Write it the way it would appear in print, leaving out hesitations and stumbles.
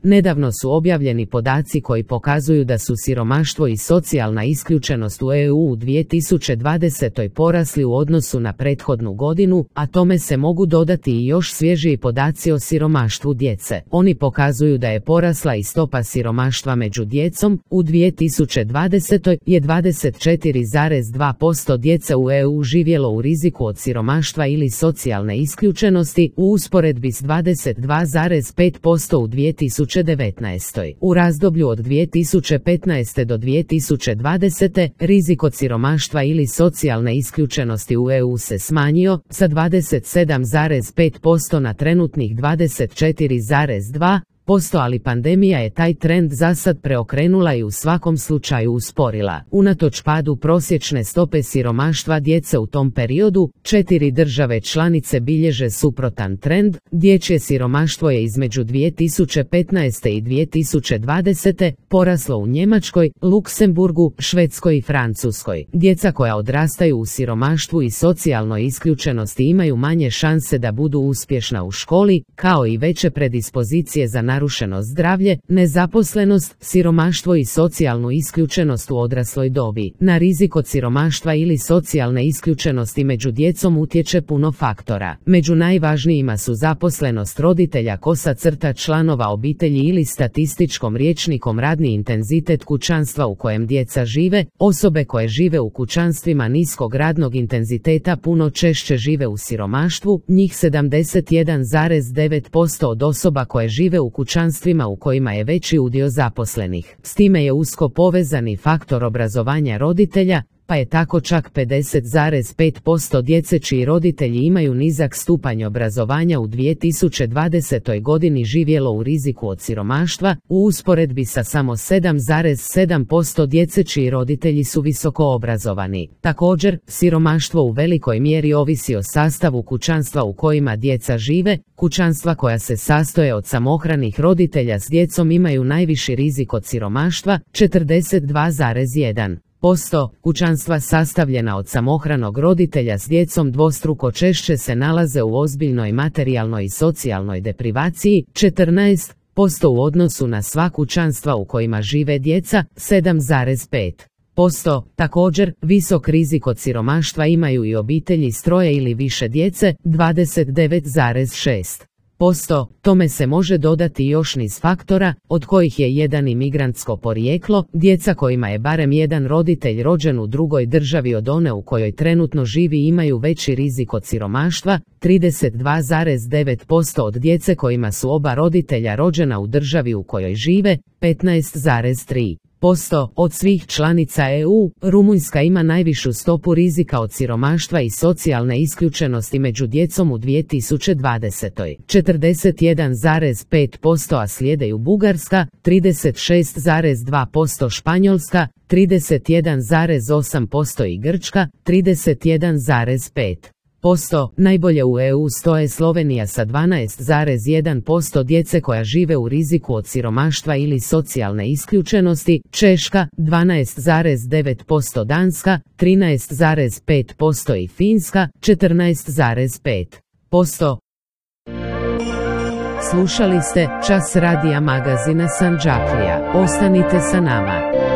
Nedavno su objavljeni podaci koji pokazuju da su siromaštvo i socijalna isključenost u EU u 2020. porasli u odnosu na prethodnu godinu, a tome se mogu dodati i još svježiji podaci o siromaštvu djece. Oni pokazuju da je porasla i stopa siromaštva među djecom. U 2020. je 24,2% djece u EU živjelo u riziku od siromaštva ili socijalne isključenosti, u usporedbi s 22,5% u 2019. U razdoblju od 2015. do 2020. rizik od siromaštva ili socijalne isključenosti u EU se smanjio sa 27,5% na trenutnih 24,2%, ali pandemija je taj trend zasad preokrenula i u svakom slučaju usporila. Unatoč padu prosječne stope siromaštva djece u tom periodu, 4 države članice bilježe suprotan trend. Dječje siromaštvo je između 2015. i 2020. poraslo u Njemačkoj, Luksemburgu, Švedskoj i Francuskoj. Djeca koja odrastaju u siromaštvu i socijalnoj isključenosti imaju manje šanse da budu uspješna u školi, kao i veće predispozicije za narušeno zdravlje, nezaposlenost, siromaštvo i socijalnu isključenost u odrasloj dobi. Na rizik od siromaštva ili socijalne isključenosti među djecom utječe puno faktora. Među najvažnijima su zaposlenost roditelja, članova obitelji ili statističkom rječnikom radni intenzitet kućanstva u kojem djeca žive. Osobe koje žive u kućanstvima niskog radnog intenziteta puno češće žive u siromaštvu, njih 71,9% od osoba koje žive u kućanstvima u kojima je veći udio zaposlenih. S time je usko povezani faktor obrazovanja roditelja, pa je tako čak 50,5% djece čiji roditelji imaju nizak stupanj obrazovanja u 2020. godini živjelo u riziku od siromaštva, u usporedbi sa samo 7,7% djece čiji roditelji su visoko obrazovani. Također, siromaštvo u velikoj mjeri ovisi o sastavu kućanstva u kojima djeca žive. Kućanstva koja se sastoje od samohranih roditelja s djecom imaju najviši rizik od siromaštva, 42,1%. Kućanstva sastavljena od samohranog roditelja s djecom dvostruko češće se nalaze u ozbiljnoj materijalnoj i socijalnoj deprivaciji, 14% u odnosu na sva kućanstva u kojima žive djeca, 7,5%. Također, visok rizik od siromaštva imaju i obitelji s troje ili više djece, 29,6%. Tome se može dodati još niz faktora, od kojih je jedan imigrantsko porijeklo. Djeca kojima je barem jedan roditelj rođen u drugoj državi od one u kojoj trenutno živi imaju veći rizik od siromaštva, 32,9% od djece kojima su oba roditelja rođena u državi u kojoj žive, 15,3%. Od svih članica EU, Rumunjska ima najvišu stopu rizika od siromaštva i socijalne isključenosti među djecom u 2020. 41,5%, a slijedeju Bugarska, 36,2%, Španjolska, 31,8% i Grčka, 31,5%. Najbolje u EU stoje Slovenija sa 12,1% djece koja žive u riziku od siromaštva ili socijalne isključenosti, Češka 12,9%, Danska 13,5% i Finska 14,5%. Slušali ste Čas radija magazina Sandžaklija. Ostanite sa nama.